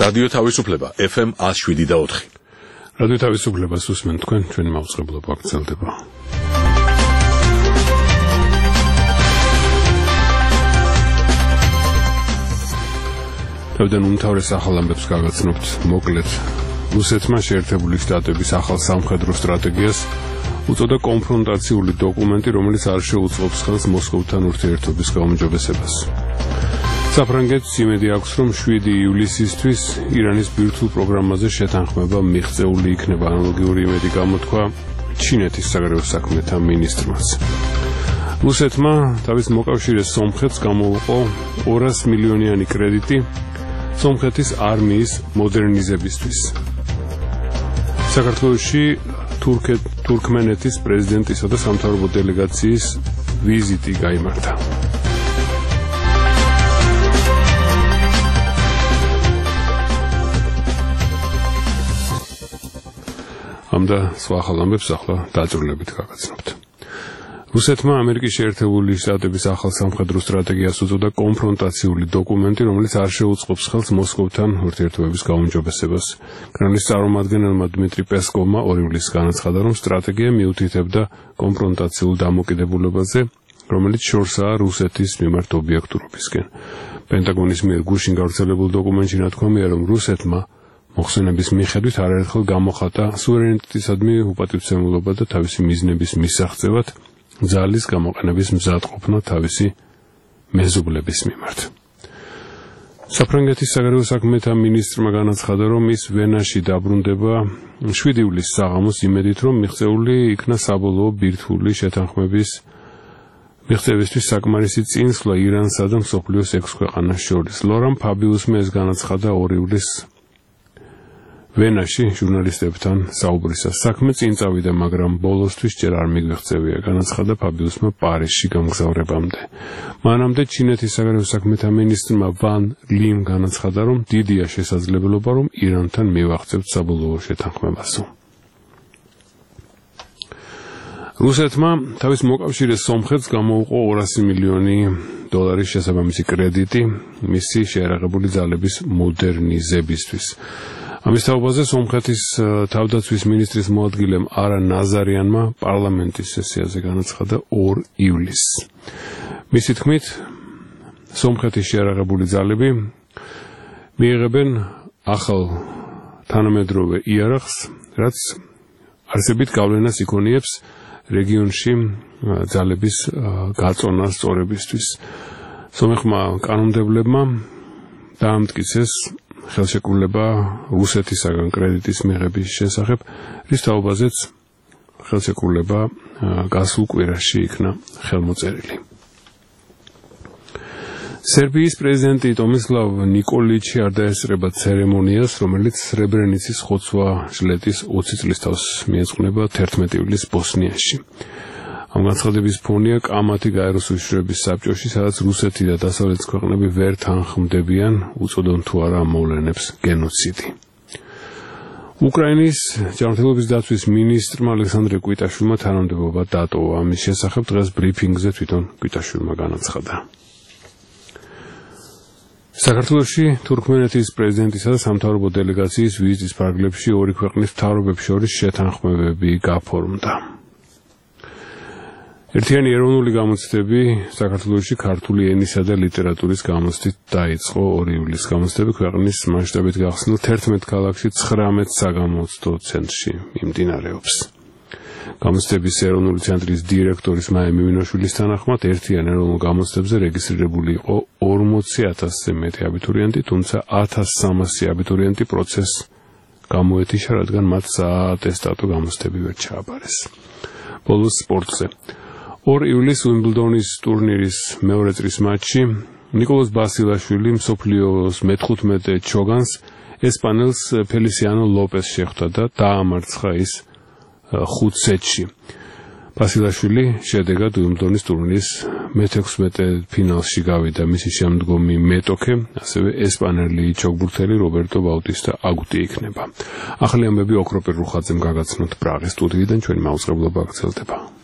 რადიო თავისუფლება FM 107.4. რადიო თავისუფლებას უსმენთ თქვენ, ჩვენი მაუწყებლობა გრძელდება. თავიდან უმთავრეს ახალ ამბებს გაგაცნობთ. მოკლედ, რუსეთმა შეერთებული შტატების ახალ სამხედრო სტრატეგიას უწოდა კონფრონტაციული დოკუმენტი, რომელიც არ შეუწყობს ხელს მოსკოვთან ურთიერთობის გაუმჯობესებას. საფრანგეთს იმედი აქვს, რომ 7 ივლისისთვის ირანის ბირთვულ პროგრამაზე შეთანხმება მიღწეული იქნება. ანალოგიური იმედი გამოთქვა ჩინეთის საგარეო საქმეთა მინისტრმაც. რუსეთმა თავის მოკავშირე სომხეთს გამოუყო 200 მილიონიანი კრედიტი სომხეთის არმიის მოდერნიზებისთვის. საქართველოში თურქმენეთის პრეზიდენტისა და სამთავრობო დელეგაციის ვიზიტი გაიმართა. ამ და სხვა ახალ ამბებს ახლა დაწვრილებით გაგაცნობთ. რუსეთმა ამერიკის შეერთებული შტატების ახალ სამხედრო სტრატეგიას უწოდა კონფრონტაციული დოკუმენტი, რომელიც არ შეუწყობს ხელს მოსკოვთან ურთიერთობების გაუმჯობესებას. კრემლის წარმომადგენელმა დმიტრი პესკოვმა 2 ივლისს განაცხადა, რომ სტრატეგია მიუთითებდა კონფრონტაციულ დამოკიდებულებაზე, რომელიც შორსაა რუსეთის მიმართ ობიექტურობისკენ. პენტაგონის მიერ გუშინ გავრცელებულ დოკუმენტში ნათქვამია, რომ რუსეთმა მოხსენების მიხედვით არაერთხელ გამოხატა სუვერენიტეტისადმი უპატივცემულობა და თავისი მიზნების მისაღწევად ძალის გამოყენების მზადყოფნა თავისი მეზობლების მიმართ. საფრანგეთის საგარეო საქმეთა მინისტრმა განაცხადა, რომ ის ვენაში დაბრუნდება 7 ივლისს საღამოს იმედით, რომ მიღწეული იქნა საბოლოო ბირთვული შეთანხმების მიღწევისთვის საკმარისი წინსვლა ირანსა და მსოფლიოს 6 ქვეყანას შორის. ლორან ფაბიუსმა ეს განაცხადა 2 ივლისს ვენაში ჟურნალისტებთან საუბრისას. საქმე წინ წავიდა, მაგრამ ბოლოსთვის ჯერ არ მიგვეღწევია, განაცხადა ფაბიუსმა პარიზში გამგზავრებამდე. მანამდე ჩინეთის საგარეო საქმეთა მინისტრმა ვან ლიმ განაცხადა, რომ დიდია შესაძლებლობა, რომ ირანთან მივაღწევთ საბოლოო შეთანხმებასო. რუსეთმა თავის მოკავშირე სომხეთს გამოუყო 200 მილიონი დოლარის შესაბამისი კრედიტი მისი შეერაღებული ძალების მოდერნიზებისთვის. ამის თაობაზე სომხეთის თავდაცვის მინისტრის მოადგილემ არა ნაზარიანმა პარლამენტის სესიაზე განაცხადა 2 ივლისს. მისი თქმით, სომხეთის შეერაღებული ძალები მიიღებენ ახალ თანამედროვე იარაღს, რაც არსებით გავლენას იქონიებს რეგიონში ძალების გაწონას სწორებისთვის. სომეხმა კანონმდებლებმა დაამტკიცეს ხელშეკრულება რუსეთისაგან კრედიტის მიღების შესახებ, რის თაობაზეც ხელშეკრულება გასულ კვირაში იქნა ხელმოწერილი. სერბიის პრეზიდენტი ტომისლავ ნიკოლიჩი არ დაესწრება ცერემონიას, რომელიც სრებრენიცის ხოცვა-ჟლეტის 20 წლის თავს მიეძღვნება 11 ივლისს ბოსნიაში. ამ განცხადების ფონია კამათი გაეროს უშიშროების საბჭოში, სადაც რუსეთი და დასავლეთის ქვეყნები ვერ თანხმდებიან, უწოდონ თუ არა ამ მოვლენებს გენოციდი. უკრაინის ჯანმრთელობის დაცვის მინისტრმა ალექსანდრე კვიტაშვილმა თანამდებობა დატოვა. ამის შესახებ დღეს ბრიფინგზე თვითონ კვიტაშვილმა განაცხადა. საქართველოში თურქმენეთის პრეზიდენტისა და სამთავრობო დელეგაციის ვიზიტის ფარგლებში 2 ქვეყნის მთავრობებს შორის შეთანხმებები გაფორმდა. ერთიანი ეროვნული გამოცდები საქართველოში ქართული ენისა და ლიტერატურის გამოცდით დაიწყო 2 ივლისს. გამოცდები ქვეყნის მასშტაბით გახსნილ 11 ქალაქში 19 საგამოცდო ცენტრში მიმდინარეობს. გამოცდების ეროვნული ცენტრის დირექტორის მაია მიმინოშვილის თანახმად ერთიან ეროვნულ გამოცდებზე რეგისტრირებული იყო 40,000-ზე მეტი აბიტურიენტი, თუმცა 1300 აბიტურიენტი პროცესს გამოეთიშა, რადგან მათ საატესტატო გამოცდები ვერ ჩააბარეს. ბოლოს სპორტზე. 2 ივლისს უიმბლდონის ტურნირის მეორე წრის მატჩში ნიკოლოზ ბასილაშვილი მსოფლიოს მე-15 ჩოგანს ესპანელს ფელისიანო ლოპეს შეხვდა და დაამარცხა ის 5 სეტში. ბასილაშვილი შედეგად უიმბლდონის ტურნირის მე-16 ფინალში გავიდა. მისი შემდგომი მეტოქე, ასევე ესპანელი ჩოგბურთელი რობერტო ბაუტისტა აგუტი იქნება. ახალი ამბები ოქროპირ რუხაძემ გაგაცნოთ პრაღის სტუდიიდან, ჩვენი მაუწყებლობა გრძელდება.